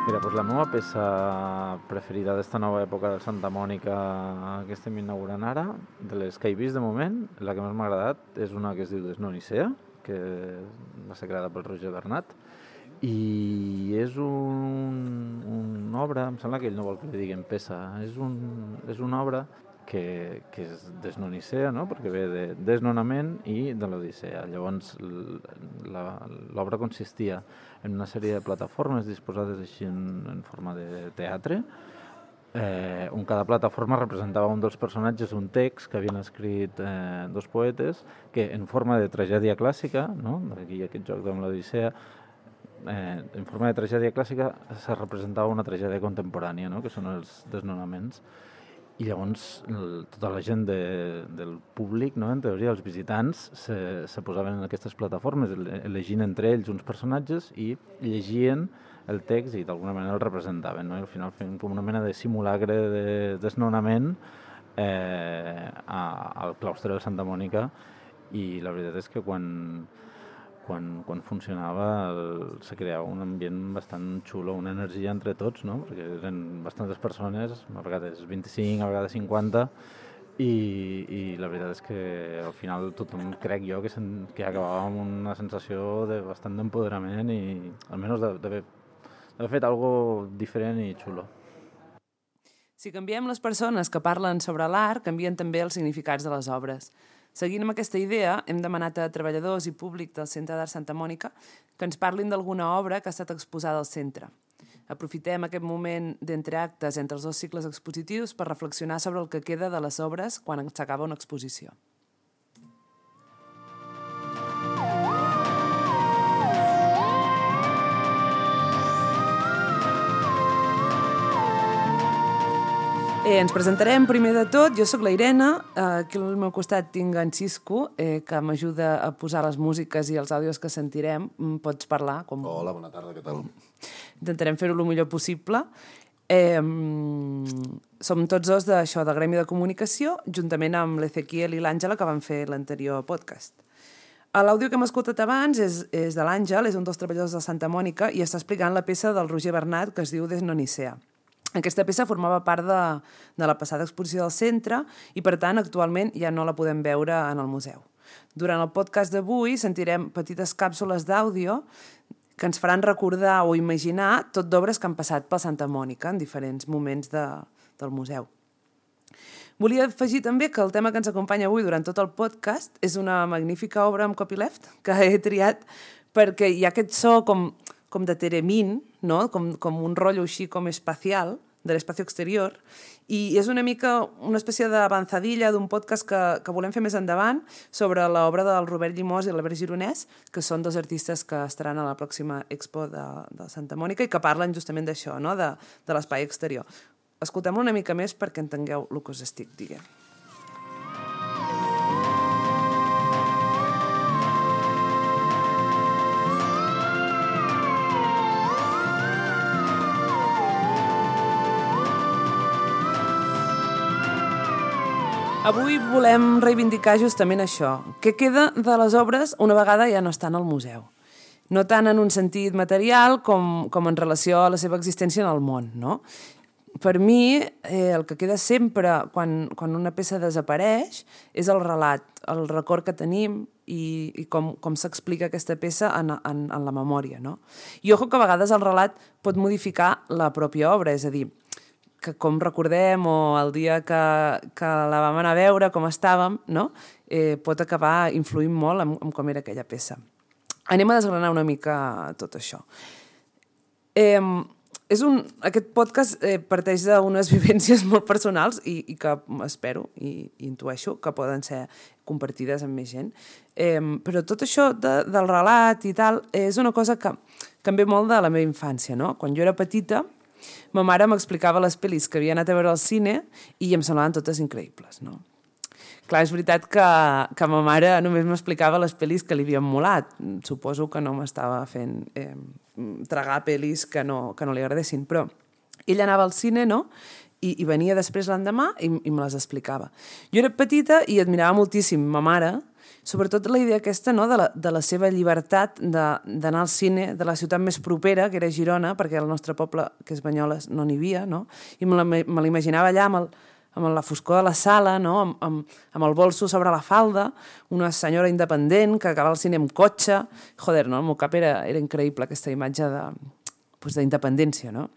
Mira, doncs la meva peça preferida d'esta nova època de Santa Mònica que estem inaugurant ara, de les que he vist de moment, la que més m'ha agradat és una que es diu Desnonicea, que va ser creada pel Roger Bernat, i és una obra, em sembla que ell no vol que li diguem peça, és una obra que és desnonicea, no? Perquè ve de desnonament i de l'Odissea. Llavors, l'obra consistia en una sèrie de plataformes disposades així en forma de teatre, on cada plataforma representava un dels personatges, un text que havien escrit dos poetes, que en forma de tragèdia clàssica, no? Aquí aquest joc amb l'Odissea, en forma de tragèdia clàssica se representava una tragèdia contemporània, no? Que són els desnonaments. I llavors tota la gent del públic, no? En teoria els visitants, se posaven en aquestes plataformes elegint entre ells uns personatges i llegien el text i d'alguna manera el representaven, no? I al final feien com una mena de simulacre de desnonament al claustre de Santa Mònica, i la veritat és que quan funcionava se creava un ambient bastant xulo, una energia entre tots, no? Perquè eren bastantes persones, a vegades 25, a vegades 50, i la veritat és que al final tothom, crec jo, que acabava amb una sensació de bastant d'empoderament i almenys d'haver fet algo diferent i xulo. Si canviem les persones que parlen sobre l'art, canvien també els significats de les obres. Seguint amb aquesta idea, hem demanat a treballadors i públic del Centre d'Art Santa Mònica que ens parlin d'alguna obra que ha estat exposada al centre. Aprofitem aquest moment d'entreactes entre els dos cicles expositius per reflexionar sobre el que queda de les obres quan s'acaba una exposició. Ens presentarem primer de tot. Jo sóc la Irene, aquí al meu costat tinc en Xisco, que m'ajuda a posar les músiques i els àudios que sentirem. Pots parlar? Hola, bona tarda, què tal? Intentarem fer-ho el millor possible. Som tots dos d'això, del Gremi de Comunicació, juntament amb l'Ezequiel i l'Àngela, que van fer l'anterior podcast. L'àudio que hem escoltat abans és de l'Àngel, és un dels treballadors de Santa Mònica, i està explicant la peça del Roger Bernat, que es diu Desnonicea. Aquesta peça formava part de la passada exposició del centre i, per tant, actualment ja no la podem veure en el museu. Durant el podcast d'avui sentirem petites càpsules d'àudio que ens faran recordar o imaginar tot d'obres que han passat per Santa Mònica en diferents moments del museu. Volia afegir també que el tema que ens acompanya avui durant tot el podcast és una magnífica obra amb copyleft que he triat perquè hi ha aquest so com de Teremin, no? com un rotllo així com espacial, de l'espacio exterior, i és una mica una espècie d'avançadilla d'un podcast que volem fer més endavant sobre l'obra del Robert Llimós i l'Albert Gironès, que són dos artistes que estaran a la pròxima expo de Santa Mònica i que parlen justament d'això, no? de l'espai exterior. Escoltem-lo una mica més perquè entengueu el que us estic dient. Avui volem reivindicar justament això. Què queda de les obres una vegada ja no estan al museu? No tant en un sentit material com en relació a la seva existència en el món, no? Per mi, el que queda sempre quan una peça desapareix és el relat, el record que tenim i com s'explica aquesta peça en la memòria, no? I ojo que a vegades el relat pot modificar la pròpia obra, és a dir, que com recordem o el dia que la vam anar a veure, com estàvem, no? Pot acabar influint molt en com era aquella peça. Anem a desgranar una mica tot això. Aquest podcast parteix d'unes vivències molt personals i que espero i intueixo que poden ser compartides amb més gent. Però tot això del relat i tal és una cosa que em ve molt de la meva infància, no? Quan jo era petita, ma mare m'explicava les pel·lis que havia anat a veure al cine i em semblaven totes increïbles, no? Clar, és veritat que ma mare només m'explicava les pel·lis que li havien molat. Suposo que no m'estava fent tragar pel·lis que no li agradessin, però ella anava al cine, no? I venia després l'endemà i me les explicava. Jo era petita i admirava moltíssim ma mare Sobretot la idea aquesta, no?, de la seva llibertat d'anar al cine de la ciutat més propera, que era Girona, perquè al nostre poble, que és Banyoles, no n'hi havia, no? I me l'imaginava allà amb la foscor de la sala, no?, amb el bolso sobre la falda, una senyora independent que acaba al cine amb cotxe. Joder, no?, el meu cap era increïble, aquesta imatge d'independència, no?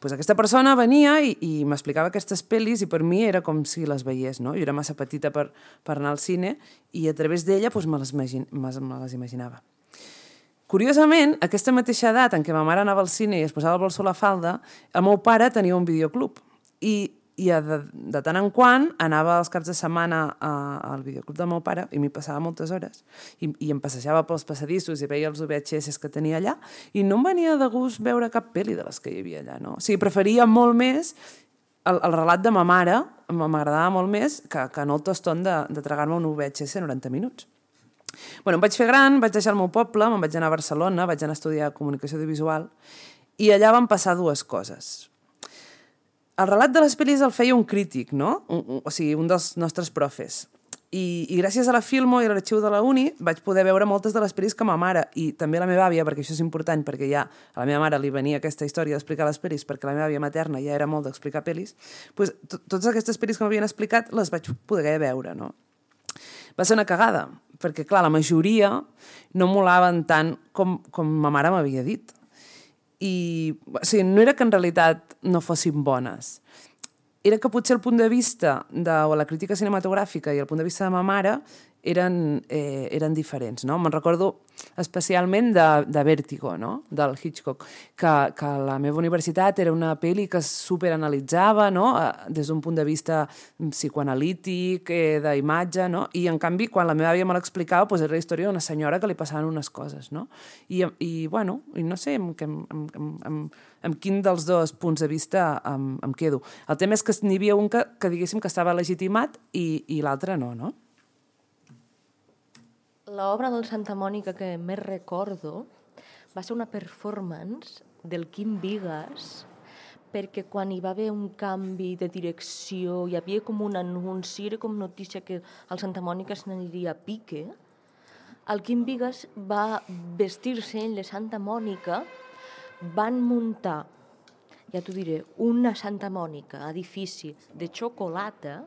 Pues aquesta persona venia i m'explicava aquestes pel·lis i per mi era com si les veiés, no? Jo era massa petita per anar al cine i a través d'ella pues, me les imaginava. Curiosament, aquesta mateixa edat en què ma mare anava al cine i es posava el bolso a la falda, el meu pare tenia un videoclub i de tant en quant anava els caps de setmana al videoclub del meu pare i m'hi passava moltes hores i em passejava pels passadissos i veia els VHS que tenia allà i no em venia de gust veure cap pel·li de les que hi havia allà, no? O sigui, preferia molt més el relat de ma mare, m'agradava molt més que no el toston de tragar-me un VHS 90 minuts. Bueno, em vaig fer gran, vaig deixar el meu poble, me'n vaig anar a Barcelona, vaig anar a estudiar comunicació audiovisual i allà van passar dues coses. El relat de les pel·lis el feia un crític, no? O sigui, un dels nostres profes. I gràcies a la Filmo i a l'arxiu de la Uni vaig poder veure moltes de les pel·lis que ma mare i també la meva àvia, perquè això és important, perquè ja a la meva mare li venia aquesta història d'explicar les pel·lis, perquè la meva àvia materna ja era molt d'explicar pel·lis, doncs totes aquestes pel·lis que m'havien explicat les vaig poder veure, no? Va ser una cagada, perquè, clar, la majoria no molaven tant com ma mare m'havia dit. O sigui, no era que en realitat no fossin bones, era que potser el punt de vista de la crítica cinematogràfica i el punt de vista de ma mare eren diferents, no? Me'n recordo especialment de Vértigo, no?, del Hitchcock, que la meva universitat era una pel·li que es superanalitzava, no?, des d'un punt de vista psicoanalític, d'imatge, no?, i en canvi quan la meva àvia me l'explicava doncs era la història d'una senyora que li passaven unes coses, no? I bueno, i no sé amb quin dels dos punts de vista em quedo. El tema és que n'hi havia un que diguéssim que estava legitimat i l'altre no, no? L'obra del Santa Mònica que més recordo va ser una performance del Quim Vigas, perquè quan hi va haver un canvi de direcció, hi havia com un anunci, era com notícia que el Santa Mònica se n'aniria a pique, el Quim Vigas va vestir-se en la Santa Mònica, van muntar, ja t'ho diré, una Santa Mònica, edifici de xocolata,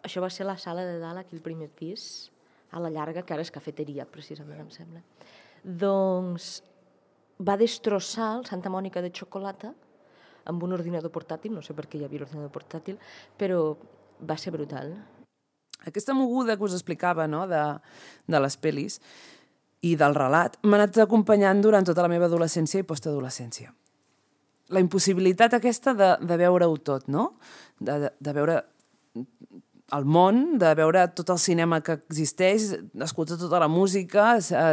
això va ser la sala de dalt, aquí al primer pis, a la llarga, que ara és cafeteria, precisament, em sembla. Doncs va destrossar el Santa Mònica de xocolata amb un ordinador portàtil, no sé per què hi havia l'ordinador portàtil, però va ser brutal. Aquesta moguda que us explicava, no?, de les pel·lis i del relat m'ha anat acompanyant durant tota la meva adolescència i postadolescència. La impossibilitat aquesta de veure-ho tot, no?, de veure el món, de veure tot el cinema que existeix, escoltar tota la música,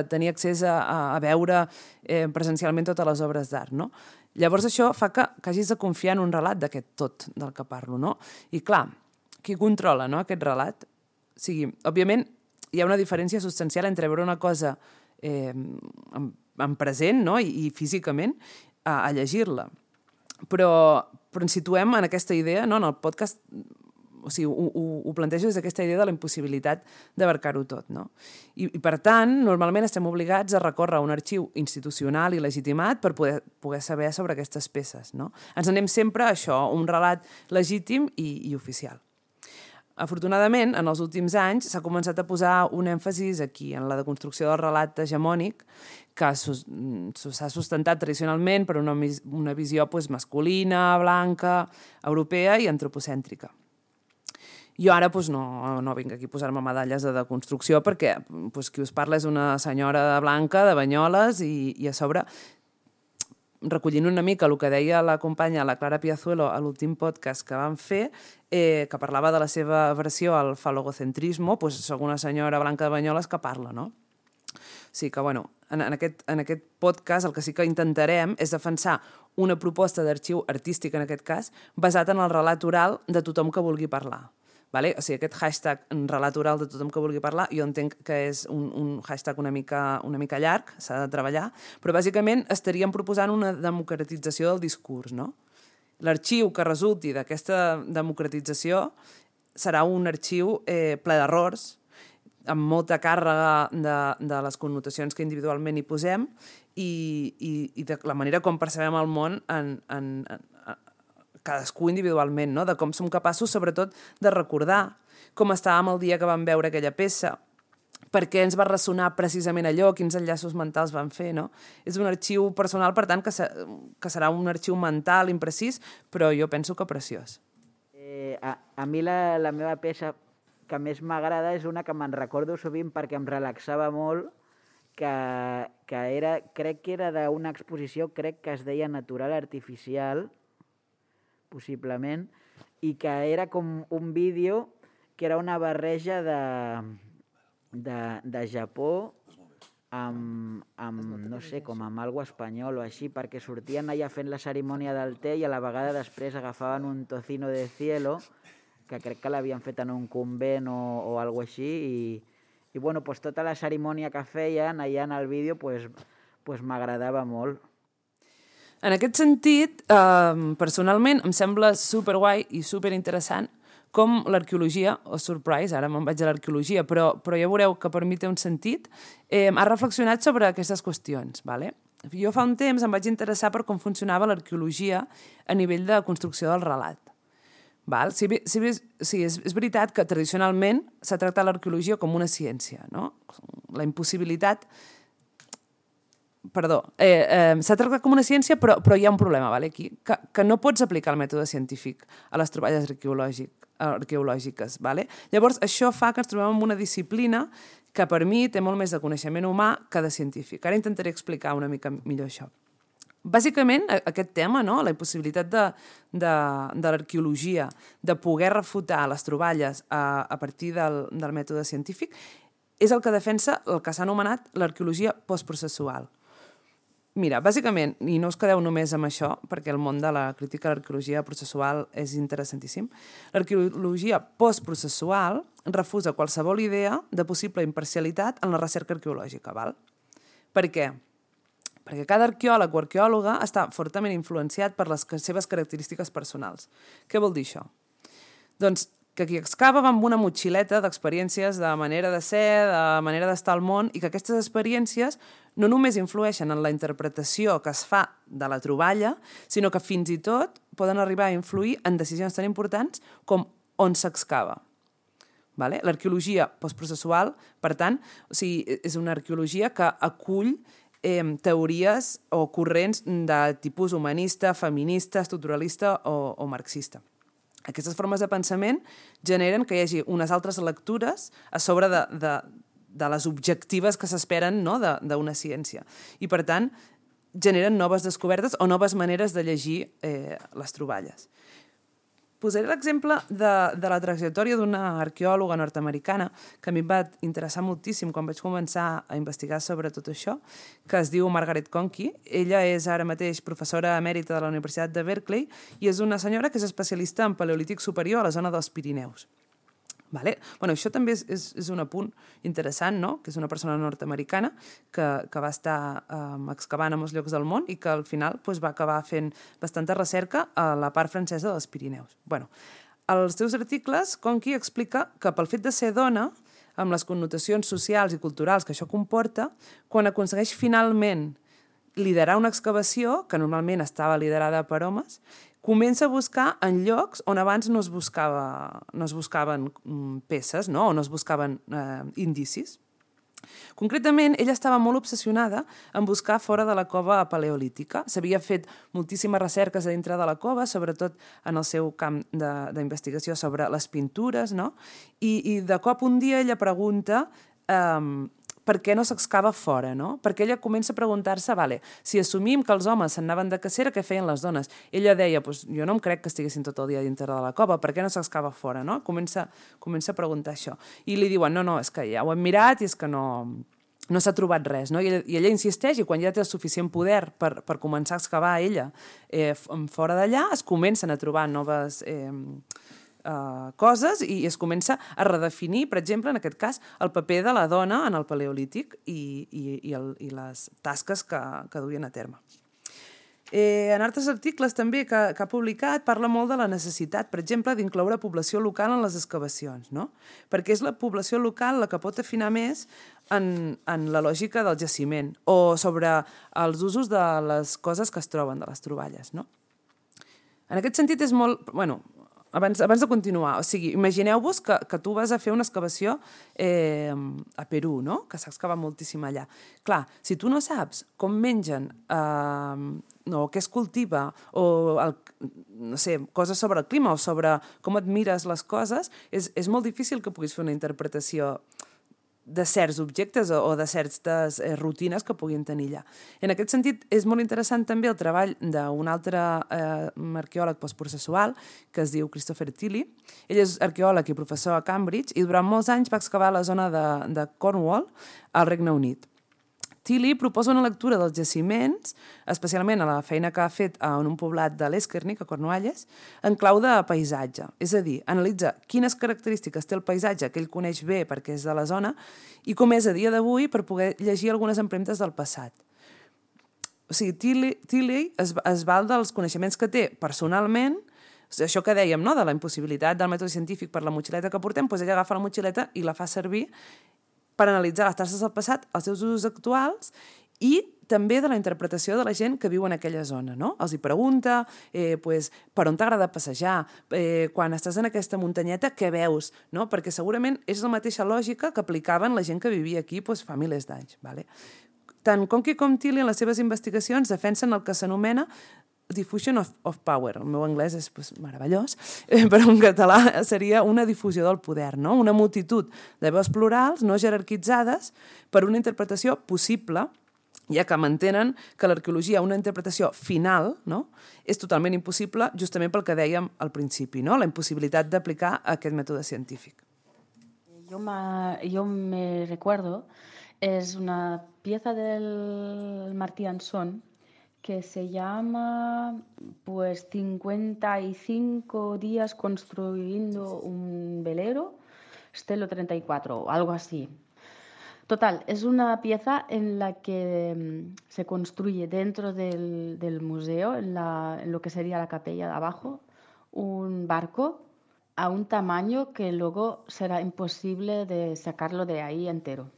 tenir accés a veure presencialment totes les obres d'art, no? Llavors això fa que hagis de confiar en un relat d'aquest tot del que parlo, no? I clar, qui controla, no?, aquest relat? O sigui, òbviament hi ha una diferència substancial entre veure una cosa en present, no?, i físicament a llegir-la. Però ens situem en aquesta idea, no?, en el podcast. O sigui, ho plantejo des d'aquesta idea de la impossibilitat d'abarcar-ho tot, no? I per tant, normalment estem obligats a recórrer a un arxiu institucional i legitimat per poder saber sobre aquestes peces, no? Ens anem sempre a això, un relat legítim i oficial. Afortunadament, en els últims anys s'ha començat a posar un èmfasis aquí, en la deconstrucció del relat hegemònic, que s'ha sustentat tradicionalment per una visió masculina, blanca, europea i antropocèntrica. Jo ara no vinc aquí a posar-me medalles de deconstrucció perquè qui us parla és una senyora blanca de Banyoles i a sobre, recollint una mica el que deia la companya, la Clara Piazuelo, a l'últim podcast que vam fer, que parlava de la seva versió al falogocentrismo, soc una senyora blanca de Banyoles que parla, no? O sigui que, bueno, en aquest podcast el que sí que intentarem és defensar una proposta d'arxiu artístic, en aquest cas, basat en el relat oral de tothom que vulgui parlar. Vale? O sigui, aquest hashtag relat oral de tothom que vulgui parlar, jo entenc que és un hashtag una mica llarg, s'ha de treballar, però bàsicament estaríem proposant una democratització del discurs, no? L'arxiu que resulti d'aquesta democratització serà un arxiu ple d'errors, amb molta càrrega de les connotacions que individualment hi posem i de la manera com percebem el món en cadascú individualment, no? De com som capaços, sobretot, de recordar com estàvem el dia que vam veure aquella peça, per què ens va ressonar precisament allò, quins enllaços mentals van fer, no? És un arxiu personal, per tant, que serà un arxiu mental imprecís, però jo penso que preciós. A mi la meva peça que més m'agrada és una que me'n recordo sovint perquè em relaxava molt, que era, crec que era d'una exposició, crec que es deia Natural Artificial, possiblement, i que era com un vídeo que era una barreja de Japó amb no sé, com amb algo espanyol o així, perquè sortien allà fent la cerimònia del té i a la vegada després agafaven un tocino de cielo, que crec que l'havien fet en un convent o algo així, i bueno, pues tota la cerimònia que feien allà en el vídeo pues m'agradava molt. En aquest sentit, personalment, em sembla superguai i superinteressant com l'arqueologia, surprise, ara me'n vaig a l'arqueologia, però ja veureu que per mi té un sentit, ha reflexionat sobre aquestes qüestions. Vale? Jo fa un temps em vaig interessar per com funcionava l'arqueologia a nivell de construcció del relat. Val? Sí, és veritat que tradicionalment s'ha tractat l'arqueologia com una ciència, no? La impossibilitat... Perdó, s'ha tractat com una ciència, però hi ha un problema, vale, aquí, que no pots aplicar el mètode científic a les troballes arqueològiques. Vale? Llavors, això fa que ens trobem en una disciplina que per mi té molt més de coneixement humà que de científic. Ara intentaré explicar una mica millor això. Bàsicament, aquest tema, no? La impossibilitat de l'arqueologia de poder refutar les troballes a partir del mètode científic és el que defensa el que s'ha anomenat l'arqueologia postprocessual. Mira, bàsicament, i no us quedeu només amb això, perquè el món de la crítica a l'arqueologia processual és interessantíssim, l'arqueologia postprocessual refusa qualsevol idea de possible imparcialitat en la recerca arqueològica. Val? Per què? Perquè cada arqueòleg o arqueòloga està fortament influenciat per les seves característiques personals. Què vol dir això? Doncs que qui excava va amb una motxileta d'experiències de manera de ser, de manera d'estar al món, i que aquestes experiències no només influeixen en la interpretació que es fa de la troballa, sinó que fins i tot poden arribar a influir en decisions tan importants com on s'excava. Vale? L'arqueologia postprocessual, per tant, és una arqueologia que acull teories o corrents de tipus humanista, feminista, estructuralista o marxista. Aquestes formes de pensament generen que hi hagi unes altres lectures a sobre de les objectives que s'esperen, no? d'una ciència. I, per tant, generen noves descobertes o noves maneres de llegir les troballes. Posaré l'exemple de la trajectòria d'una arqueòloga nord-americana que a mi em va interessar moltíssim quan vaig començar a investigar sobre tot això, que es diu Margaret Conkey. Ella és ara mateix professora emèrita de la Universitat de Berkeley i és una senyora que és especialista en paleolític superior a la zona dels Pirineus. Vale? Bueno, això també és un apunt interessant, no? Que és una persona nord-americana que va estar excavant a molts llocs del món i que al final va acabar fent bastanta recerca a la part francesa dels Pirineus. Bueno, als seus articles, Conkey explica que pel fet de ser dona, amb les connotacions socials i culturals que això comporta, quan aconsegueix finalment liderar una excavació, que normalment estava liderada per homes, comença a buscar en llocs on abans no es buscaven peces, no? O no es buscaven indicis. Concretament, ella estava molt obsessionada en buscar fora de la cova paleolítica. S'havia fet moltíssimes recerques a dintre de la cova, sobretot en el seu camp d'investigació sobre les pintures, no? I de cop un dia ella pregunta per què no s'excava fora, no? Perquè ella comença a preguntar-se, vale, si assumim que els homes s'anaven de cacera, què feien les dones? Ella deia, jo no em crec que estiguessin tot el dia dintre de la cova, per què no s'excava fora, no? Comença a preguntar això. I li diuen, no, és que ja ho hem mirat i és que no s'ha trobat res, no? I ella insisteix i quan ja té el suficient poder per començar a excavar ella fora d'allà, es comencen a trobar noves coses i es comença a redefinir, per exemple, en aquest cas, el paper de la dona en el paleolític i les tasques que duien a terme. En altres articles també que ha publicat parla molt de la necessitat, per exemple, d'incloure població local en les excavacions, no? Perquè és la població local la que pot afinar més en la lògica del jaciment o sobre els usos de les coses que es troben, de les troballes, no? En aquest sentit és molt... Bueno, abans de continuar, o sigui, imagineu-vos que tu vas a fer una excavació a Perú, no? Que s'ha excavat moltíssim allà. Clar, si tu no saps com mengen, o què es cultiva, o no sé, coses sobre el clima o sobre com et mires les coses, és molt difícil que puguis fer una interpretació de certs objectes o de certes rutines que puguin tenir allà. En aquest sentit, és molt interessant també el treball d'un altre arqueòleg postprocessual que es diu Christopher Tilley. Ell és arqueòleg i professor a Cambridge i durant molts anys va excavar la zona de Cornwall al Regne Unit. Tilley proposa una lectura dels jaciments, especialment a la feina que ha fet en un poblat de l'Esquernic, a Cornualles, en clau de paisatge. És a dir, analitza quines característiques té el paisatge que ell coneix bé perquè és de la zona i com és a dia d'avui per poder llegir algunes empremtes del passat. O sigui, Tilley es val dels coneixements que té personalment, això que dèiem, no?, de la impossibilitat del mètode científic per la motxileta que portem, doncs ella agafa la motxileta i la fa servir per analitzar les traces del passat, els seus usos actuals i també de la interpretació de la gent que viu en aquella zona, no? Els hi pregunta per on t'agrada passejar, quan estàs en aquesta muntanyeta, què veus? No? Perquè segurament és la mateixa lògica que aplicaven la gent que vivia aquí fa milers d'anys. Vale? Tant Conkey com Tilley en les seves investigacions defensen el que s'anomena diffusion of power. El meu anglès és meravellós, però en català seria una difusió del poder, no? Una multitud de veus plurals no jerarquitzades per una interpretació possible, ja que mantenen que l'arqueologia, una interpretació final, no?, és totalment impossible justament pel que dèiem al principi, no?, la impossibilitat d'aplicar aquest mètode científic. Yo me recuerdo, es una pieza del Martí Ansón que se llama 55 días construyendo un velero, Stelo 34 o algo así. Total, es una pieza en la que se construye dentro del museo, en lo que sería la capella de abajo, un barco a un tamaño que luego será imposible de sacarlo de ahí entero.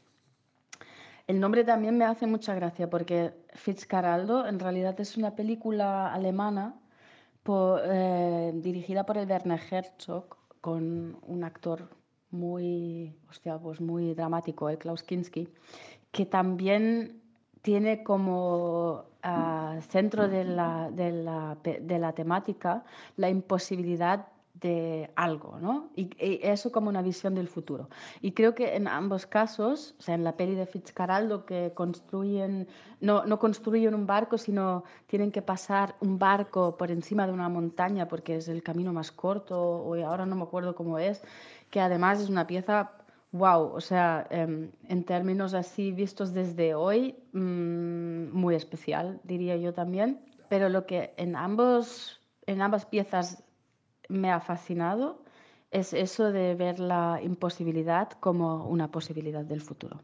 El nombre también me hace mucha gracia porque Fitzcarraldo en realidad es una película alemana dirigida por el Werner Herzog con un actor muy dramático, Klaus Kinski, que también tiene como centro de la temática la imposibilidad de algo, ¿no? Y eso como una visión del futuro. Y creo que en ambos casos, o sea, en la peli de Fitzcarraldo, que no construyen un barco, sino tienen que pasar un barco por encima de una montaña porque es el camino más corto, o ahora no me acuerdo cómo es, que además es una pieza, wow, o sea, en términos así vistos desde hoy, muy especial, diría yo también. Pero lo que en ambas piezas me ha fascinado es eso de ver la imposibilidad como una posibilidad del futuro.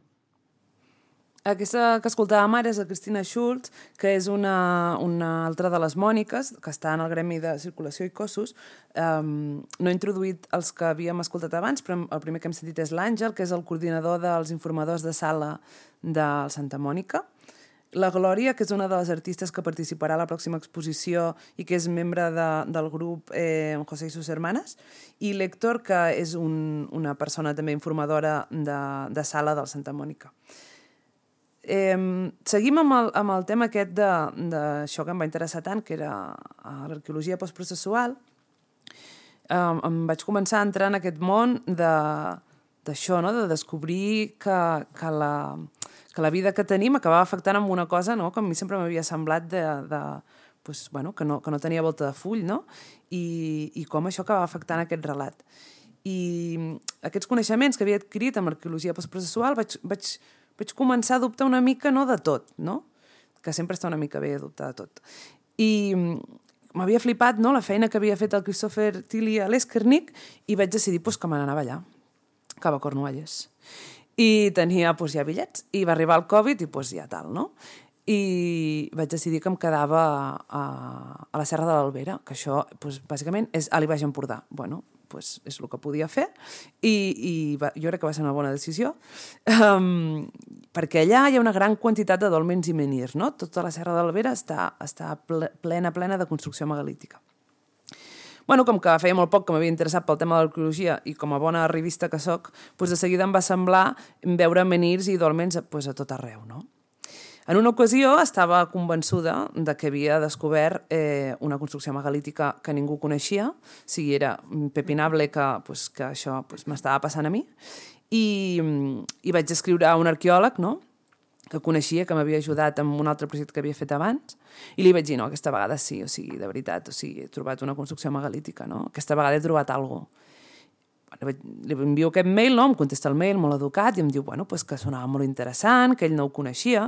Aquesta que escoltàvem ara és la Cristina Schultz, que és una altra de les Mòniques, que està en el Gremi de Circulació i Cossos. No he introduït els que havíem escoltat abans, però el primer que hem sentit és l'Àngel, que és el coordinador dels informadors de sala del Santa Mònica. La Glòria, que és una de les artistes que participarà a la pròxima exposició i que és membre del grup José y sus hermanas, i l'Héctor, que és una persona també informadora de sala del Santa Mònica. Seguim amb el tema aquest d'això que em va interessar tant, que era l'arqueologia postprocessual. Em vaig començar a entrar en aquest món d'això, no? De descobrir que la vida que tenim acabava afectant amb una cosa, no?, que a mi sempre m'havia semblat que no tenia volta de full, no? I com això acabava afectant aquest relat. I aquests coneixements que havia adquirit amb l'arqueologia postprocessual vaig començar a dubtar una mica, no, de tot, no? Que sempre està una mica bé dubtar de tot. I m'havia flipat, no?, la feina que havia fet el Christopher Tilley a l'Esquernic i vaig decidir que me n'anava allà, cap a Cornualles. I tenia ja bitllets, i va arribar el Covid i ja tal, no? i vaig decidir que em quedava a la Serra de l'Albera, que això, bàsicament, és a l'Baix Empordà. Bueno, és el que podia fer i jo crec que va ser una bona decisió, perquè allà hi ha una gran quantitat de dòlmens i menhirs, no? Tota la Serra de l'Albera està plena de construcció megalítica. Bueno, com que feia molt poc que m'havia interessat pel tema de l'arqueologia i com a bona revista que soc, de seguida em va semblar veure menhirs i dòlmens a tot arreu, no? En una ocasió estava convençuda de que havia descobert una construcció megalítica que ningú coneixia, o sigui, era impepinable que això m'estava passant a mi, i vaig escriure a un arqueòleg, no?, que coneixia, que m'havia ajudat amb un altre projecte que havia fet abans, i li vaig dir, no, aquesta vegada sí, o sigui, de veritat, o sigui, he trobat una construcció megalítica, no? Aquesta vegada he trobat alguna cosa. Li envio aquest mail, no? Em contesta el mail, molt educat, i em diu, bueno, que sonava molt interessant, que ell no ho coneixia,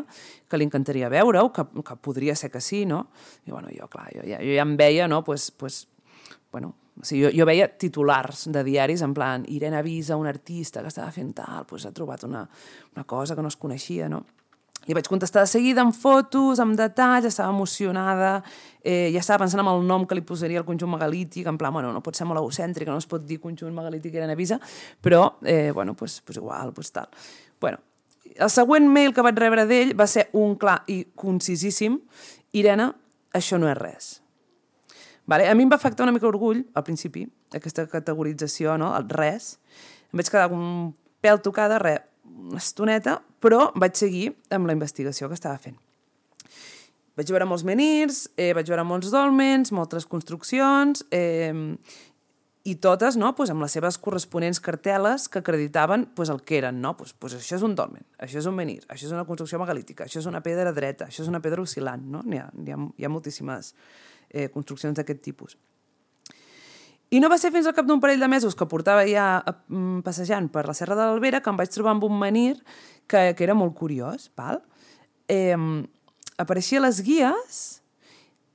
que li encantaria veure-ho, que podria ser que sí, no? I bueno, jo, clar, jo ja em veia, no? Bueno, o sigui, jo veia titulars de diaris en plan, Irene avisa un artista que estava fent tal, ha trobat una cosa que no es coneixia, no? Li vaig contestar de seguida amb fotos, amb detalls, estava emocionada, ja estava pensant en el nom que li posaria al conjunt megalític, en plan, bueno, no pot ser molt egocèntric, no es pot dir conjunt megalític Irene avisa, però, bueno, igual, tal. Bueno, el següent mail que vaig rebre d'ell va ser un clar i concisíssim, Irene, això no és res. Vale? A mi em va afectar una mica orgull, al principi, aquesta categorització, no? El res. Em vaig quedar un pèl tocada, una estoneta, però vaig seguir amb la investigació que estava fent. Vaig veure molts menhirs, vaig veure molts dòlmens, moltes construccions, i totes, no?, amb les seves corresponents cartel·les que acreditaven el que eren, no? Això és un dòlmen, això és un menhir, això és una construcció megalítica, això és una pedra dreta, això és una pedra oscil·lant, no? Hi ha moltíssimes construccions d'aquest tipus. I no va ser fins al cap d'un parell de mesos que portava ja passejant per la Serra de l'Albera que em vaig trobar amb un menhir que era molt curiós, val? Apareixia a les guies,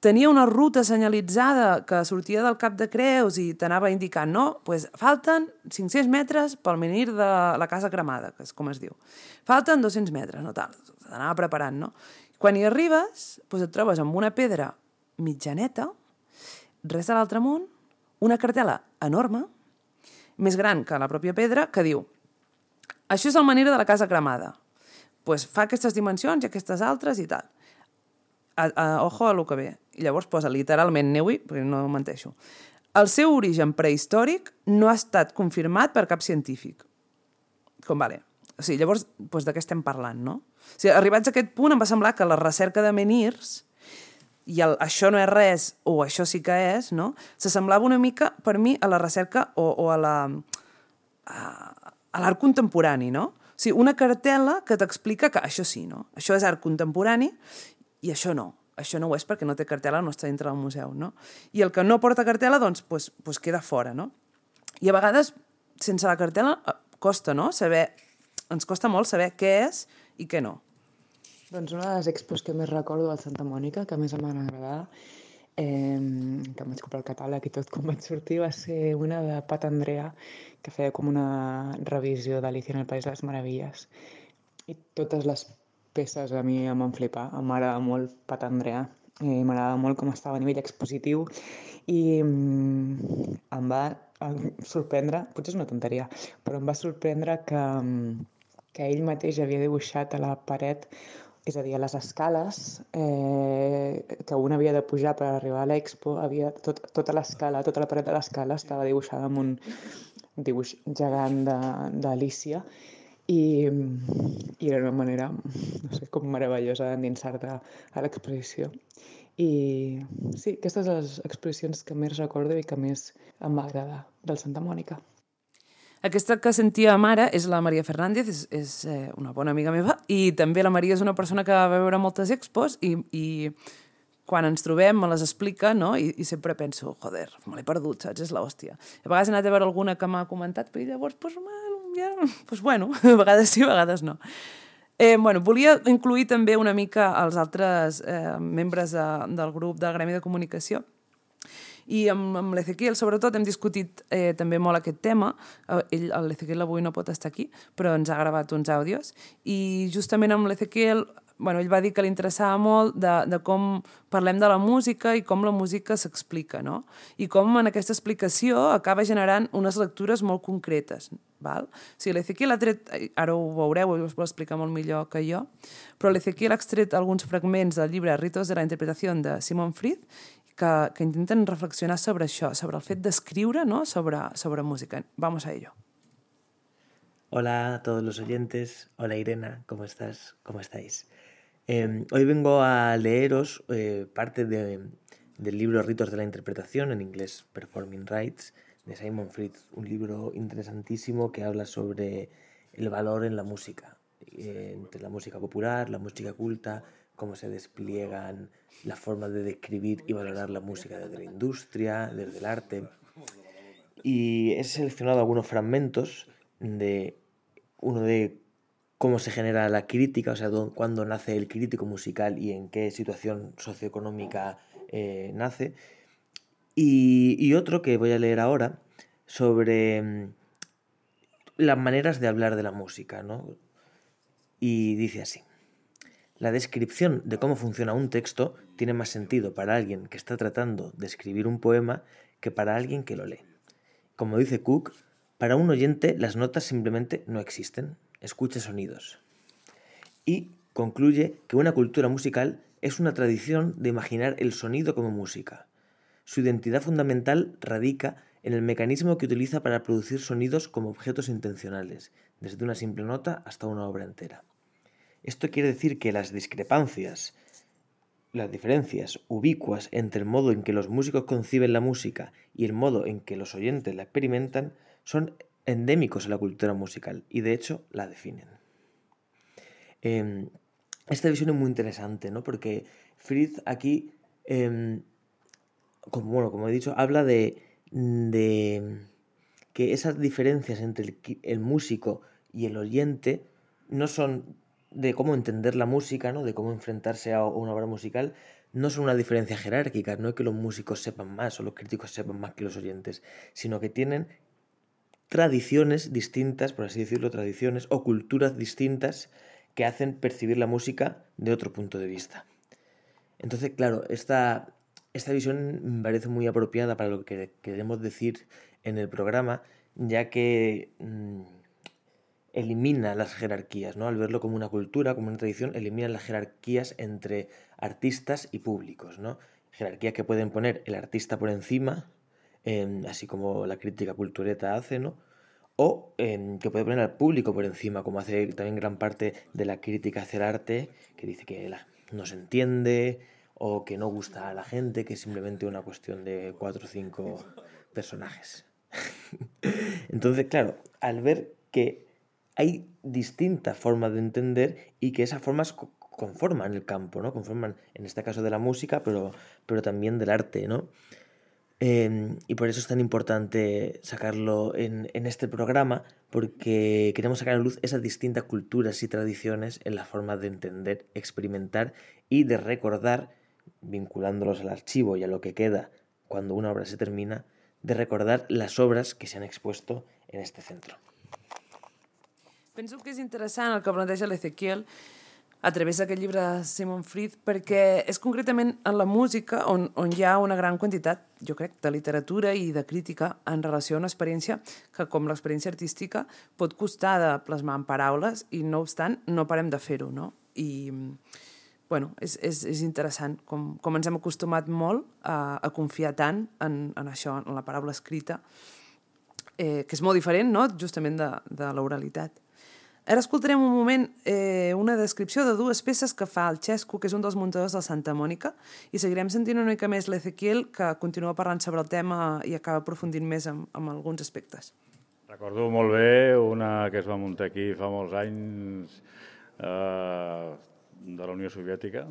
tenia una ruta senyalitzada que sortia del Cap de Creus i t'anava indicant, no? Falten 500 metres pel menhir de la Casa Cremada, que és com es diu. Falten 200 metres, no tal. T'anava preparant, no? Quan hi arribes, et trobes amb una pedra mitjaneta, res de l'altre món, una cartel·la enorme, més gran que la pròpia pedra, que diu això és el menhir de la Casa Cremada. Fa aquestes dimensions i aquestes altres i tal. Ojo a lo que ve. I llavors posa literalment Neui, perquè no menteixo. El seu origen prehistòric no ha estat confirmat per cap científic. Vale. O sigui, llavors, de què estem parlant, no? O sigui, arribats a aquest punt em va semblar que la recerca de menhirs i això no és res, o això sí que és, no? S'assemblava una mica, per mi, a la recerca o a l'art contemporani, no? O sigui, una cartel·la que t'explica que això sí, no? Això és art contemporani i això no. Això no ho és perquè no té cartel·la, no està dintre del museu, no? I el que no porta cartel·la, doncs queda fora, no? I a vegades, sense la cartel·la, costa, no? Ens costa molt saber què és i què no. Doncs una de les expos que més recordo al Santa Mònica, que més em van agradar, que em vaig comprar el catàleg i tot quan vaig sortir, va ser una de Pat Andrea, que feia com una revisió d'Alicia en el País de les Meravilles. I totes les peces a mi em van flipar. M'agrada molt Pat Andrea, m'agrada molt com estava a nivell expositiu i em va sorprendre, potser és una tonteria, però em va sorprendre que ell mateix havia dibuixat a la paret, és a dir, a les escales que un havia de pujar per arribar a l'expo, tota l'escala, tota la paret de l'escala estava dibuixada amb un dibuix gegant d'Alícia i era una manera, no sé, com meravellosa d'endinsar-te a l'exposició. I sí, aquestes són les exposicions que més recordo i que més em va agradar del Santa Mònica. Aquesta que sentíem ara és la Maria Fernández, és una bona amiga meva, i també la Maria és una persona que va veure moltes expos i quan ens trobem me les explica, no? I sempre penso, joder, me l'he perdut, saps? És l'hòstia. A vegades he anat a veure alguna que m'ha comentat, però llavors, bueno, a vegades sí, a vegades no. Volia incluir també una mica els altres membres del grup del Gremi de Comunicació. I amb l'Ezequiel, sobretot, hem discutit també molt aquest tema. L'Ezequiel avui no pot estar aquí, però ens ha gravat uns àudios. I justament amb l'Ezequiel ell va dir que li interessava molt de com parlem de la música i com la música s'explica, no? I com en aquesta explicació acaba generant unes lectures molt concretes, val? O sigui, l'Ezequiel ha tret, ara ho veureu, us ho explicar molt millor que jo, però l'Ezequiel ha extret alguns fragments del llibre Ritos de la Interpretació de Simon Fried que intenten reflexionar sobre això, sobre el fet d'escriure, ¿no? sobre música. Vamos a ello. Hola a todos los oyentes. Hola Irena, ¿cómo estás? ¿Cómo estáis? Hoy vengo a leeros parte del libro Ritos de la Interpretación, en inglés Performing Rites, de Simon Fried, un libro interesantísimo que habla sobre el valor en la música, entre la música popular, la música culta, cómo se despliegan las formas de describir y valorar la música desde la industria, desde el arte. Y he seleccionado algunos fragmentos de uno de cómo se genera la crítica, o sea, cuándo nace el crítico musical y en qué situación socioeconómica nace, y otro que voy a leer ahora sobre las maneras de hablar de la música, ¿no? Y dice así: la descripción de cómo funciona un texto tiene más sentido para alguien que está tratando de escribir un poema que para alguien que lo lee. Como dice Cook, para un oyente las notas simplemente no existen, escucha sonidos. Y concluye que una cultura musical es una tradición de imaginar el sonido como música. Su identidad fundamental radica en el mecanismo que utiliza para producir sonidos como objetos intencionales, desde una simple nota hasta una obra entera. Esto quiere decir que las diferencias ubicuas entre el modo en que los músicos conciben la música y el modo en que los oyentes la experimentan son endémicos a la cultura musical y de hecho la definen. Esta visión es muy interesante, ¿no? Porque Fried aquí, como he dicho, habla de que esas diferencias entre el músico y el oyente no son de cómo entender la música, ¿no? De cómo enfrentarse a una obra musical, no son una diferencia jerárquica, no es que los músicos sepan más o los críticos sepan más que los oyentes, sino que tienen tradiciones distintas, por así decirlo, tradiciones o culturas distintas que hacen percibir la música de otro punto de vista. Entonces, claro, esta visión me parece muy apropiada para lo que queremos decir en el programa, ya que elimina las jerarquías, ¿no? Al verlo como una cultura, como una tradición, elimina las jerarquías entre artistas y públicos, ¿no? Jerarquías que pueden poner el artista por encima, así como la crítica cultureta hace, ¿no? O que puede poner al público por encima, como hace también gran parte de la crítica hacia el arte, que dice que no se entiende o que no gusta a la gente, que es simplemente una cuestión de 4 o 5 personajes. Entonces, claro, al ver que hay distintas formas de entender y que esas formas conforman el campo, ¿no? Conforman, en este caso, de la música, pero también del arte, ¿no? Y por eso es tan importante sacarlo en este programa, porque queremos sacar a luz esas distintas culturas y tradiciones en las formas de entender, experimentar y de recordar, vinculándolos al archivo y a lo que queda cuando una obra se termina, de recordar las obras que se han expuesto en este centro. Penso que és interessant el que planteja l'Ezequiel a través d'aquest llibre de Simon Fried, perquè és concretament en la música on hi ha una gran quantitat, jo crec, de literatura i de crítica en relació a una experiència que, com l'experiència artística, pot costar de plasmar en paraules i, no obstant, no parem de fer-ho, no? I, bueno, és interessant com ens hem acostumat molt a confiar tant en això, en la paraula escrita, que és molt diferent, no?, justament de l'oralitat. Ara escoltarem un moment una descripció de 2 peces que fa el Xesco, que és un dels muntadors del Santa Mònica, i seguirem sentint una mica més l'Ezequiel, que continua parlant sobre el tema i acaba aprofundint més en alguns aspectes. Recordo molt bé una que es va muntar aquí fa molts anys de la Unió Soviètica,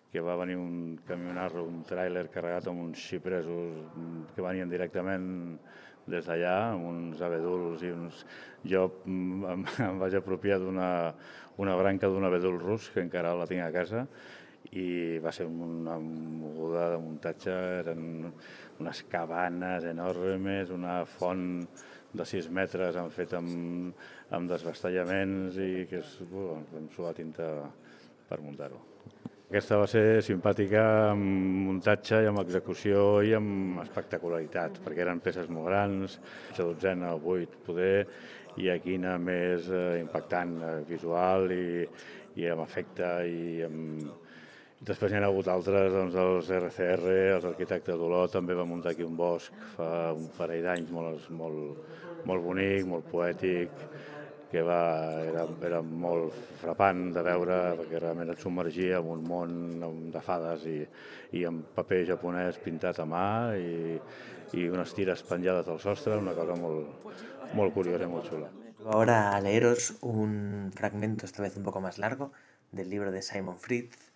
que va venir un camionarro, un tràiler carregat amb uns xipresos que venien directament des d'allà, amb uns abeduls i uns... Jo em vaig apropiar d'una branca d'un abedul rus, que encara la tinc a casa, i va ser una moguda de muntatge, eren unes cabanes enormes, una font de 6 metres han fet amb desbastallaments i que és amb suar tinta per muntar-ho. Aquesta va ser simpàtica amb muntatge i amb execució i amb espectacularitat, perquè eren peces molt grans, 12 o 8 poder, i aquí anar més impactant visual i amb efecte i amb... Després n'hi ha hagut altres, doncs els RCR, els arquitectes d'Olot, també va muntar aquí un bosc fa un parell d'anys molt bonic, molt poètic, que era molt frapant de veure, perquè realment et submergia en un món de fades i amb paper japonès pintat a mà i unes tires penjades al sostre, una cosa molt curiosa i molt xula. Ahora a leeros un fragmento, esta vez un poco más largo, del libro de Simon Fritz,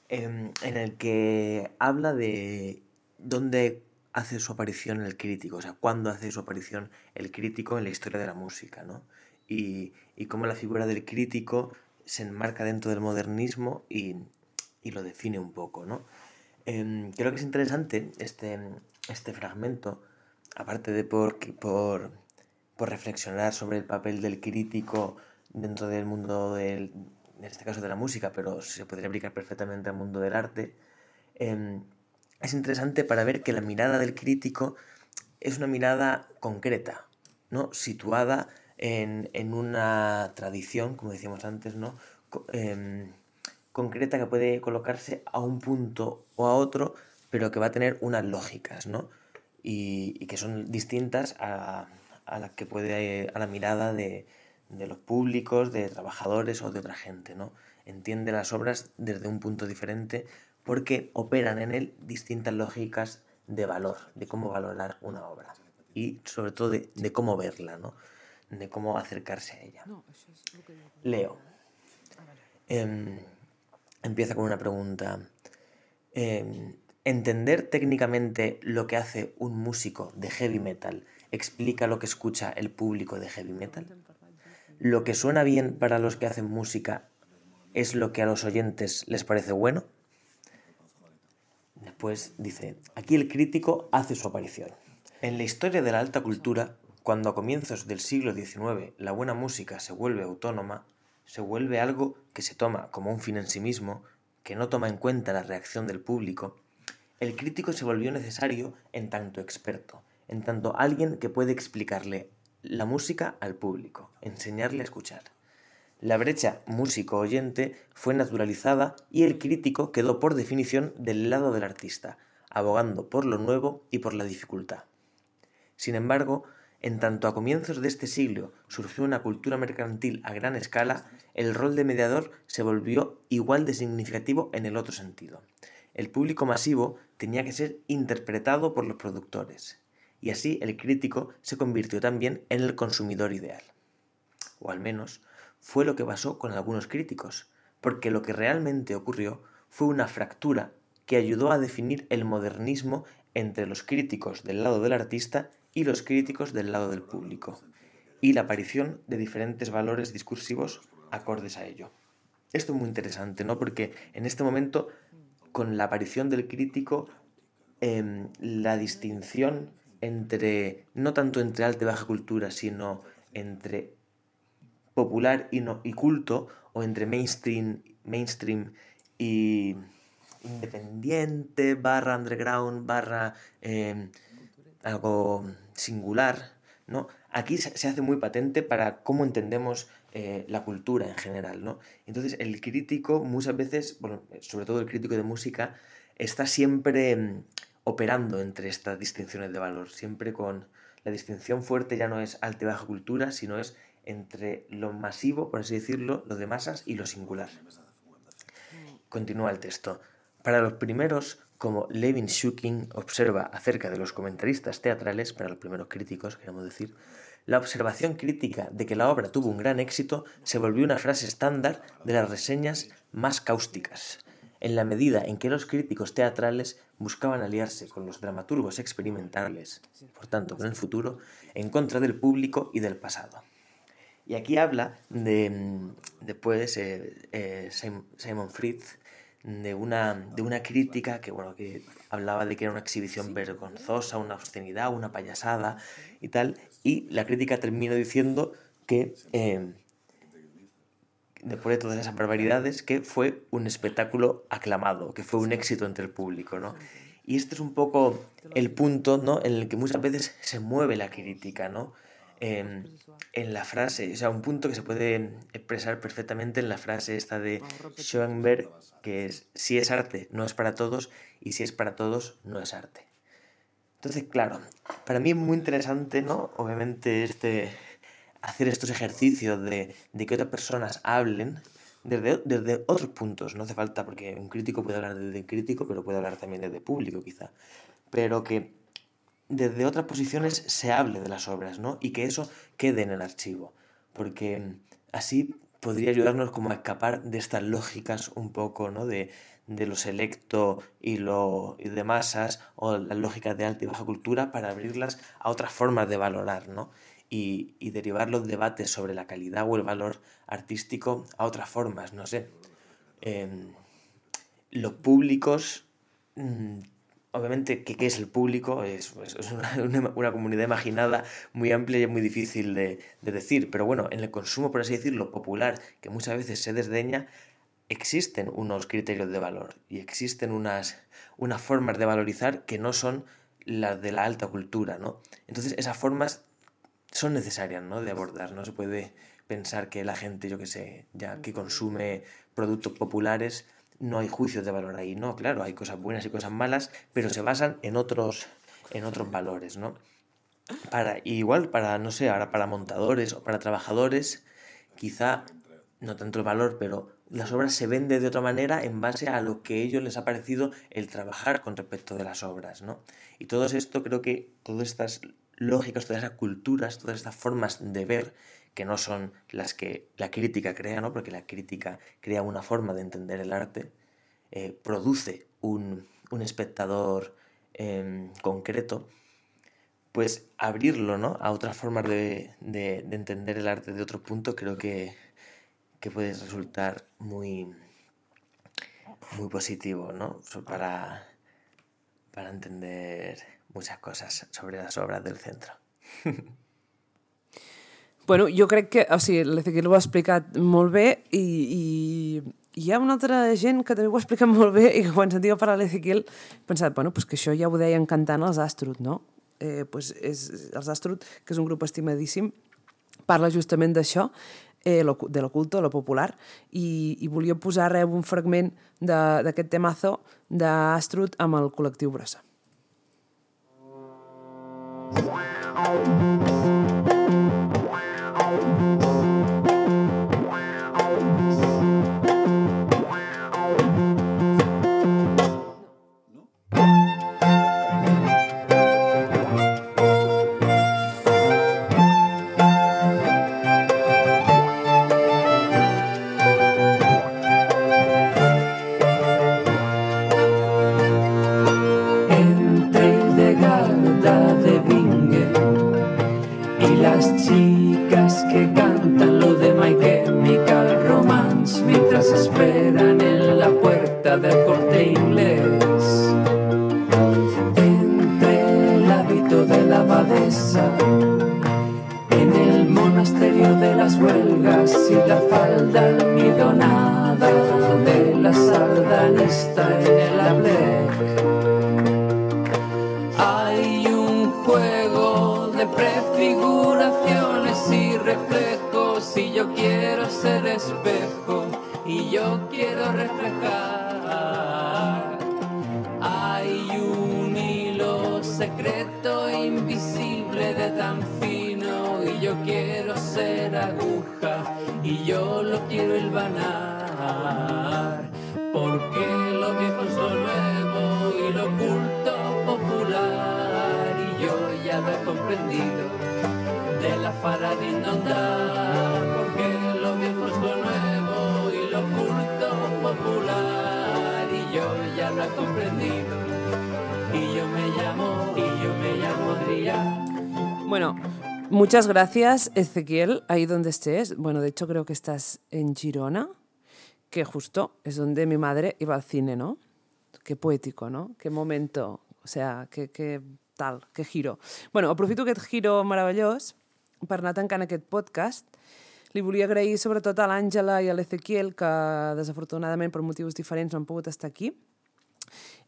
en el que habla de dónde hace su aparición el crítico, o sea, cuándo hace su aparición el crítico en la historia de la música, ¿no? Y cómo la figura del crítico se enmarca dentro del modernismo y lo define un poco, ¿no? Creo que es interesante este fragmento, aparte de por reflexionar sobre el papel del crítico dentro del mundo en este caso de la música, pero se podría aplicar perfectamente al mundo del arte. Es interesante para ver que la mirada del crítico es una mirada concreta, ¿no? Situada en una tradición, como decíamos antes, ¿no? Concreta, que puede colocarse a un punto o a otro, pero que va a tener unas lógicas, ¿no? Y que son distintas a la mirada de los públicos, de trabajadores o de otra gente, ¿no? Entiende las obras desde un punto diferente porque operan en él distintas lógicas de valor, de cómo valorar una obra y sobre todo de cómo verla, ¿no? De cómo acercarse a ella. Leo. Empieza con una pregunta. ¿Entender técnicamente lo que hace un músico de heavy metal explica lo que escucha el público de heavy metal? ¿Lo que suena bien para los que hacen música es lo que a los oyentes les parece bueno? Después dice, aquí el crítico hace su aparición. En la historia de la alta cultura, cuando a comienzos del siglo XIX la buena música se vuelve autónoma, se vuelve algo que se toma como un fin en sí mismo, que no toma en cuenta la reacción del público, el crítico se volvió necesario en tanto experto, en tanto alguien que puede explicarle la música al público, enseñarle a escuchar. La brecha músico-oyente fue naturalizada y el crítico quedó por definición del lado del artista, abogando por lo nuevo y por la dificultad. Sin embargo, en tanto a comienzos de este siglo surgió una cultura mercantil a gran escala, el rol de mediador se volvió igual de significativo en el otro sentido. El público masivo tenía que ser interpretado por los productores, y así el crítico se convirtió también en el consumidor ideal. O al menos fue lo que pasó con algunos críticos, porque lo que realmente ocurrió fue una fractura que ayudó a definir el modernismo entre los críticos del lado del artista y los críticos del lado del público, y la aparición de diferentes valores discursivos acordes a ello. Esto es muy interesante, ¿no? Porque en este momento, con la aparición del crítico, la distinción entre, no tanto entre alta y baja cultura, sino entre popular y culto, o entre mainstream y independiente, barra underground, barra algo singular, ¿no? Aquí se hace muy patente para cómo entendemos la cultura en general, ¿no? Entonces el crítico muchas veces, bueno, sobre todo el crítico de música, está siempre operando entre estas distinciones de valor, siempre con la distinción fuerte ya no es alta y baja cultura, sino es entre lo masivo, por así decirlo, lo de masas y lo singular. Continúa el texto. Para los primeros, como Levin Shukin observa acerca de los comentaristas teatrales, para los primeros críticos, queremos decir, la observación crítica de que la obra tuvo un gran éxito se volvió una frase estándar de las reseñas más cáusticas, en la medida en que los críticos teatrales buscaban aliarse con los dramaturgos experimentales, por tanto con el futuro, en contra del público y del pasado. Y aquí habla después Simon Fritz de una crítica que hablaba de que era una exhibición vergonzosa, una obscenidad, una payasada y tal, y la crítica termina diciendo que depuré todas esas barbaridades, que fue un espectáculo aclamado, que fue un éxito entre el público, ¿no? Y este es un poco el punto, ¿no?, en el que muchas veces se mueve la crítica, ¿no? En la frase, o sea, un punto que se puede expresar perfectamente en la frase esta de Schoenberg, que es: si es arte, no es para todos, y si es para todos, no es arte. Entonces, claro, para mí es muy interesante, ¿no?, obviamente hacer estos ejercicios de que otras personas hablen desde otros puntos. No hace falta, porque un crítico puede hablar desde crítico, pero puede hablar también desde público, quizá. Pero que desde otras posiciones se hable de las obras, ¿no? Y que eso quede en el archivo. Porque así podría ayudarnos como a escapar de estas lógicas un poco, ¿no?, de lo selecto y de masas, o las lógicas de alta y baja cultura, para abrirlas a otras formas de valorar, ¿no? Y derivar los debates sobre la calidad o el valor artístico a otras formas, no sé. Los públicos, obviamente, ¿qué es el público? Es una comunidad imaginada muy amplia y es muy difícil de decir, pero bueno, en el consumo, por así decirlo, popular, que muchas veces se desdeña, existen unos criterios de valor y existen unas formas de valorizar que no son las de la alta cultura, ¿no? Entonces esas formas son necesarias, ¿no?, de abordar. No se puede pensar que la gente, yo qué sé, ya que consume productos populares, no hay juicios de valor ahí. No, claro, hay cosas buenas y cosas malas, pero se basan en otros valores, ¿no? Igual para, no sé, ahora para montadores o para trabajadores, quizá no tanto el valor, pero las obras se venden de otra manera en base a lo que a ellos les ha parecido el trabajar con respecto de las obras, ¿no? Y todo esto, creo que todas estas lógicas, todas esas culturas, todas estas formas de ver, que no son las que la crítica crea, ¿no?, porque la crítica crea una forma de entender el arte, produce un espectador concreto, pues abrirlo, ¿no?, a otras formas de entender el arte de otro punto, creo que puede resultar muy, muy positivo, ¿no?, para entender muchas cosas sobre las obras del centro. Bueno, jo crec que, o sigui, l'Ezequiel ho ha explicat molt bé i hi ha una altra gent que també ho ha explicat molt bé i que quan sentia parlar l'Ezequiel he pensat, bueno, pues que això ja ho deien cantant els Astrud, no? Pues els Astrud, que és un grup estimadíssim, parla justament d'això, de l'oculto, lo popular, i volia posar un fragment d'aquest temazo d'Astrud amb el col·lectiu Brossa. Del Corte Inglés, entre el hábito de la abadesa, en el monasterio de las huelgas y la falda almidonada de la sardanista en el ablec. Hay un juego de prefiguraciones y reflejos, y yo quiero ser espejo y yo quiero reflejar. Hay un hilo secreto invisible de tan fino, y yo quiero ser aguja y yo lo quiero hilvanar, porque lo viejo es lo nuevo y lo oculto popular, y yo ya lo he comprendido de la faradina andar, porque lo viejo es lo nuevo y lo oculto popular, y yo ya lo he comprendido, y yo me llamo Adrián. Bueno, muchas gracias, Ezequiel, ahí donde estés. Bueno, de hecho creo que estás en Girona, que justo es donde mi madre iba al cine, ¿no? Qué poético, ¿no? Qué momento, o sea, qué tal, qué giro. Bueno, aprofito aquest giro meravellós per anar tancant aquest podcast. Li volia agrair sobretot a l'Àngela i a l'Ezequiel, que desafortunadament per motius diferents no han pogut estar aquí.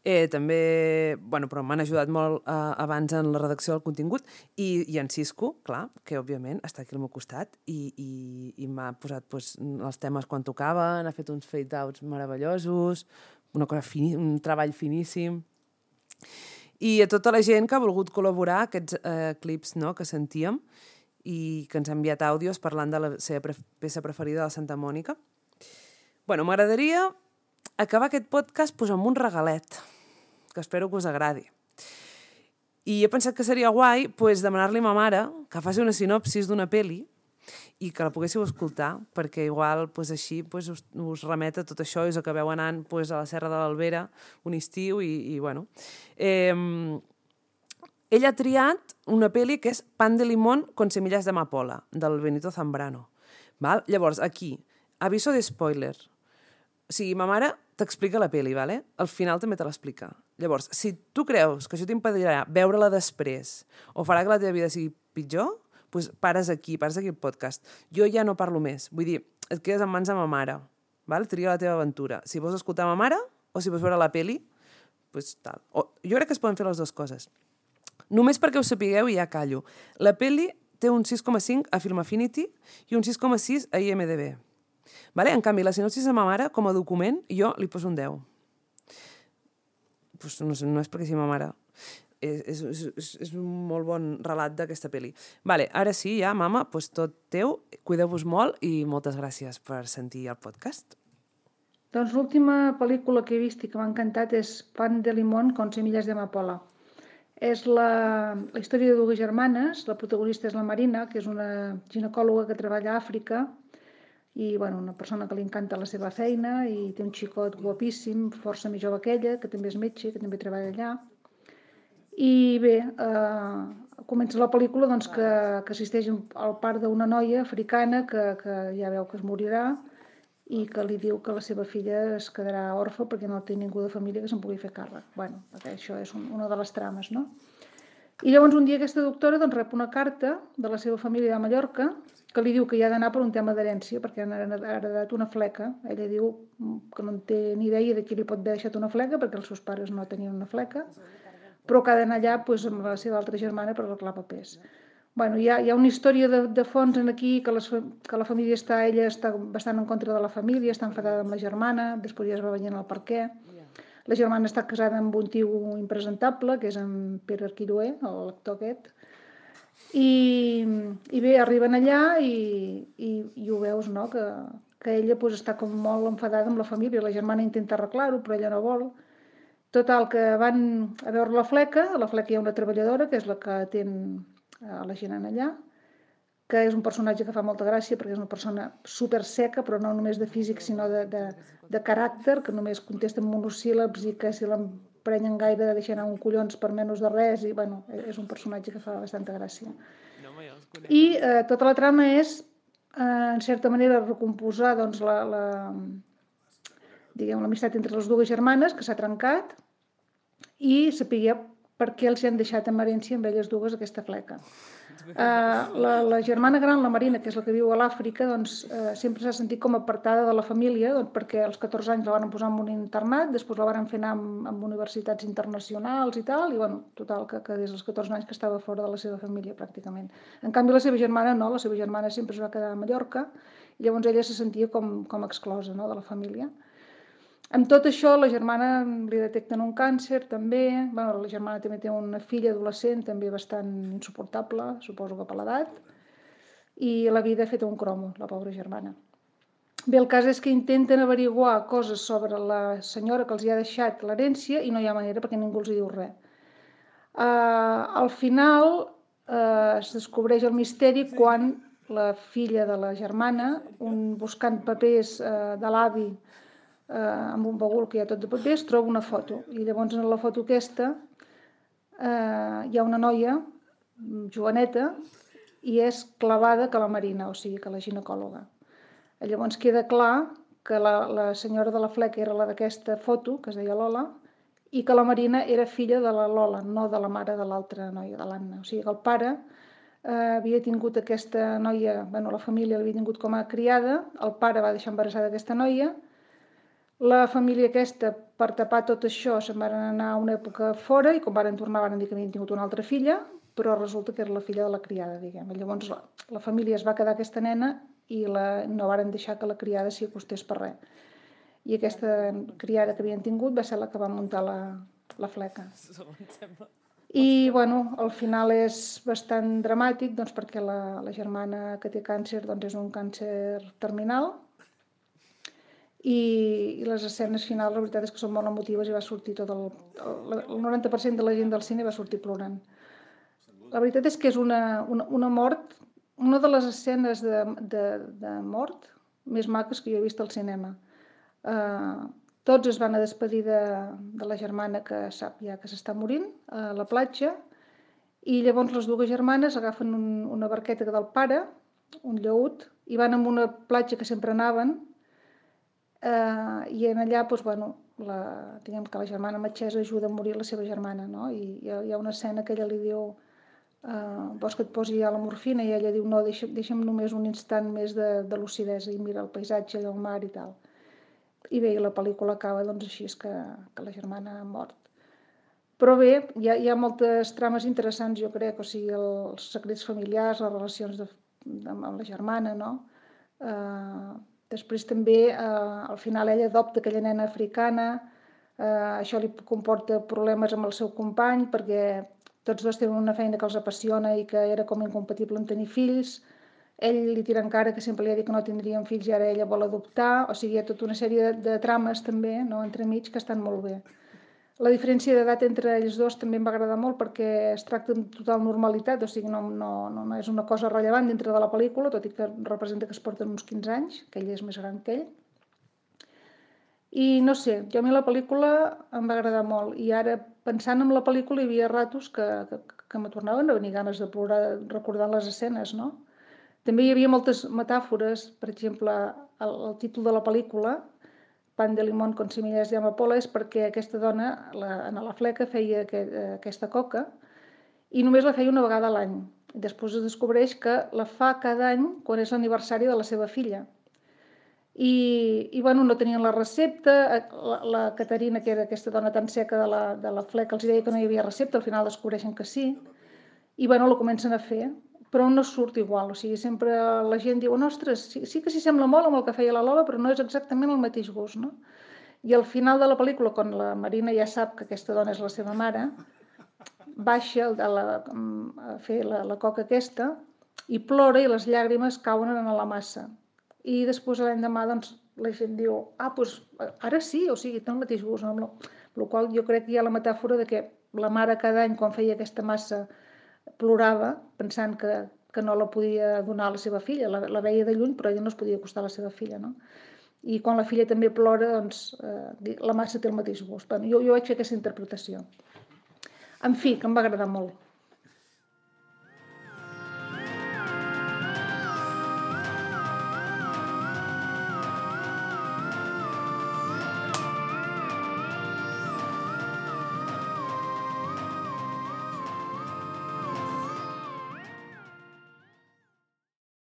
També, però m'han ajudat molt abans en la redacció del contingut i en Cisco, clar, que òbviament està aquí al meu costat i m'ha posat els temes quan tocaven, ha fet uns fade-outs meravellosos, un treball finíssim. I a tota la gent que ha volgut col·laborar aquests clips que sentíem i que ens ha enviat àudios parlant de la seva peça preferida de Santa Mònica. M'agradaria acabar aquest podcast amb un regalet, que espero que us agradi. I he pensat que seria guai demanar-li a ma mare que faci una sinopsis d'una pel·li i que la poguéssiu escoltar, perquè igual així us remet a tot això i us acabeu anant a la Serra de l'Albera un estiu i bueno. Ella ha triat una pel·li que és Pan de limón con semillas de amapola, del Benito Zambrano. Llavors, aquí, aviso de spoiler. O sigui, ma mare t'explica la pel·li, vale? Al final també te l'explica. Llavors, si tu creus que això t'impedirà veure-la després o farà que la teva vida sigui pitjor, doncs pares aquí el podcast. Jo ja no parlo més. Vull dir, et quedes en mans de ma mare. Tria la teva aventura. Si vols escoltar ma mare o si vols veure la pel·li, doncs tal. Jo crec que es poden fer les dues coses. Només perquè ho sapigueu i ja callo. La pel·li té un 6,5 a Film Affinity i un 6,6 a IMDb. En canvi, la sinopsis de ma mare, com a document, jo li poso un 10. No és perquè sigui ma mare. És un molt bon relat d'aquesta pel·li. Ara sí, ja, mama, tot teu. Cuideu-vos molt i moltes gràcies per sentir el podcast. Doncs l'última pel·lícula que he vist i que m'ha encantat és Pan de limón con semillas de amapola. És la història de dues germanes. La protagonista és la Marina, que és una ginecòloga que treballa a Àfrica i una persona que li encanta la seva feina i té un xicot guapíssim, força més jove que ella, que també és metge, que també treballa allà. I bé, comença la pel·lícula que assisteix al part d'una noia africana que ja veu que es morirà i que li diu que la seva filla es quedarà orfa perquè no té ningú de família que se'n pugui fer càrrec. Això és una de les trames, no? I llavors un dia aquesta doctora rep una carta de la seva família de Mallorca que li diu que hi ha d'anar per un tema d'herència perquè han heredat una fleca. Ella diu que no en té ni idea de qui li pot haver deixat una fleca perquè els seus pares no tenien una fleca, però que ha d'anar allà amb la seva altra germana per arreglar papers. Hi ha una història de fons aquí que la família ella està bastant en contra de la família, està enfadada amb la germana, després ja es va veient el per què. La germana està casada amb un tio impresentable, que és en Pere Arquiroé, l'actor aquest. I bé, arriben allà i ho veus, no?, que ella està com molt enfadada amb la família. La germana intenta arreglar-ho, però ella no vol. Total, que van a veure la fleca hi ha una treballadora, que és la que atén a la gent allà, que és un personatge que fa molta gràcia perquè és una persona super seca, però no només de físic, sinó de caràcter, que només contesta en monosíl·labs i que si l'emprenyen gaire deixa anar un collons per menys de res, i és un personatge que fa bastanta gràcia. I tota la trama és, en certa manera, recomposar l'amistat entre les dues germanes, que s'ha trencat, i saber per què els han deixat en herència amb elles dues aquesta fleca. La germana gran, la Marina, que és la que viu a l'Àfrica, sempre s'ha sentit com apartada de la família perquè als 14 anys la van posar en un internat, després la van fer anar amb universitats internacionals i tal, i total, que des dels 14 anys que estava fora de la seva família pràcticament. En canvi la seva germana no, la seva germana sempre es va quedar a Mallorca i llavors ella se sentia com exclosa, no?, de la família. Amb tot això, la germana li detecten un càncer, també. La germana també té una filla adolescent, també bastant insuportable, suposo que per l'edat. I la vida ha fet un cromo, la pobra germana. Bé, el cas és que intenten averiguar coses sobre la senyora que els hi ha deixat l'herència i no hi ha manera perquè ningú els hi diu res. Al final es descobreix el misteri quan la filla de la germana, buscant papers de l'avi, amb un bagul que hi ha tot de papers, troba una foto. I llavors en la foto aquesta hi ha una noia joveneta i és clavada que la Marina, o sigui que la ginecòloga. Llavors queda clar que la senyora de la fleca era la d'aquesta foto, que es deia Lola, i que la Marina era filla de la Lola, no de la mare de l'altra noia, de l'Anna. O sigui que el pare havia tingut aquesta noia, la família l'havia tingut com a criada, el pare va deixar embarassada aquesta noia, la família aquesta, per tapar tot això, se'n van anar a una època fora i quan van tornar van dir que havien tingut una altra filla, però resulta que era la filla de la criada, diguem. Llavors la família es va quedar aquesta nena i no varen deixar que la criada s'hi acostés per res. I aquesta criada que havien tingut va ser la que va muntar la fleca. I, al final és bastant dramàtic perquè la germana que té càncer és un càncer terminal i les escenes finals la veritat és que són molt emotives i va sortir tot el 90% de la gent del cine va sortir plorant. La veritat és que és una mort, una de les escenes de mort més maques que jo he vist al cinema. Tots es van a despedir de la germana que sap ja que s'està morint a la platja i llavors les dues germanes agafen una barqueta del pare, un llaüt, i van a una platja que sempre anaven i en allà, diguem que la germana metgessa ajuda a morir la seva germana, no? I hi ha una escena que ella li diu vols que et posi ja la morfina? I ella diu no, deixa'm només un instant més de lucidesa i mira el paisatge, el mar i tal. I bé, la pel·lícula acaba així, és que la germana ha mort. Però bé, hi ha moltes trames interessants, jo crec, o sigui, els secrets familiars, les relacions amb la germana, no? Després també, al final, ella adopta aquella nena africana, això li comporta problemes amb el seu company, perquè tots dos tenen una feina que els apassiona i que era com incompatible en tenir fills. Ell li tira en cara que sempre li ha dit que no tindrien fills i ara ella vol adoptar. O sigui, hi ha tota una sèrie de trames també, entremig, que estan molt bé. La diferència d'edat entre ells dos també em va agradar molt perquè es tracta amb total normalitat, o sigui, no és una cosa rellevant dintre de la pel·lícula, tot i que representa que es porten uns 15 anys, que ell és més gran que ell. I no sé, a mi la pel·lícula em va agradar molt i ara pensant en la pel·lícula hi havia ratos que me tornaven a venir ganes de plorar recordant les escenes, no? També hi havia moltes metàfores, per exemple, el títol de la pel·lícula, Pan de limón con semillas de amapola, és perquè aquesta dona, la fleca, feia aquesta coca i només la feia una vegada a l'any. Després es descobreix que la fa cada any quan és l'aniversari de la seva filla. I no tenien la recepta, la Caterina, que era aquesta dona tan seca de la fleca, els deia que no hi havia recepta, al final descobreixen que sí, i la comencen a fer, però no surt igual, o sigui, sempre la gent diu, ostres, sí que s'hi sembla molt amb el que feia la Lola, però no és exactament el mateix gust, no? I al final de la pel·lícula, quan la Marina ja sap que aquesta dona és la seva mare, baixa a fer la coca aquesta i plora i les llàgrimes cauen en la massa. I després l'endemà la gent diu, doncs ara sí, o sigui, té el mateix gust, amb la qual jo crec que hi ha la metàfora de que la mare cada any quan feia aquesta massa plorava pensant que no la podia donar a la seva filla, la veia de lluny però ella no es podia acostar a la seva filla, no? I quan la filla també plora, la massa té el mateix gust. Jo vaig fer aquesta interpretació. En fi, que em va agradar molt.